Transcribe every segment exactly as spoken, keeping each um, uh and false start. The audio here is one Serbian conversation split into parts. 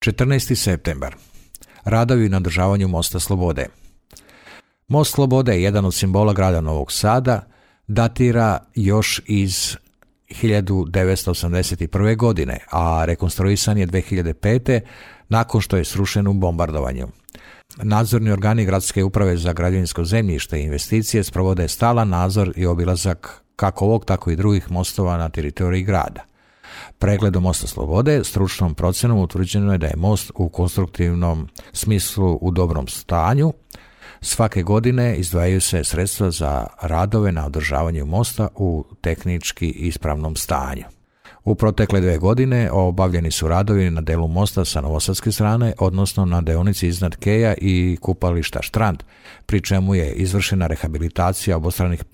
četrnaesti septembar. Radovi na održavanju Mosta Slobode. Most Slobode, jedan od simbola grada Novog Sada, datira još iz hiljadu devetsto osamdeset prve. godine, a rekonstruisan je dve hiljade pete. nakon što je srušen u bombardovanju. Nadzorni organi Gradske uprave za građevinsko zemljište i investicije sprovode stalan nadzor i obilazak kako ovog, tako i drugih mostova na teritoriji grada. Pregledom Mosta Slobode stručnom procenom utvrđeno je da je most u konstruktivnom smislu u dobrom stanju. Svake godine izdvajaju se sredstva za radove na održavanju mosta u tehnički ispravnom stanju. U protekle dve godine obavljeni su radovi na delu mosta sa novosadske strane, odnosno na deonici iznad keja i kupališta Štrand, pri čemu je izvršena rehabilitacija obostranih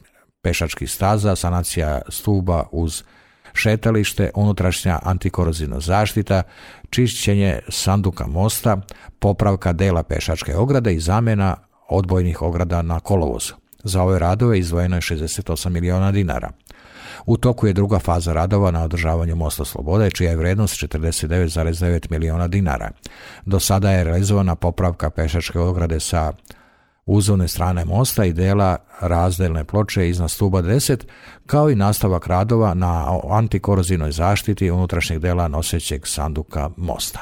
pešačkih staza, sanacija stuba uz šetalište, unutrašnja antikorozivna zaštita, čišćenje sanduka mosta, popravka dela pešačke ograde i zamjena odbojnih ograda na kolovozu. Za ove radove izdvojeno je šezdeset osam miliona dinara. U toku je druga faza radova na održavanju Mosta Slobode, čija je vrednost četrdeset devet zarez devet miliona dinara. Do sada je realizovana popravka pešačke ograde sa uzovne strane mosta i dela razdelne ploče iznad stuba deset, kao i nastavak radova na antikorozivnoj zaštiti unutrašnjeg dela nosećeg sanduka mosta.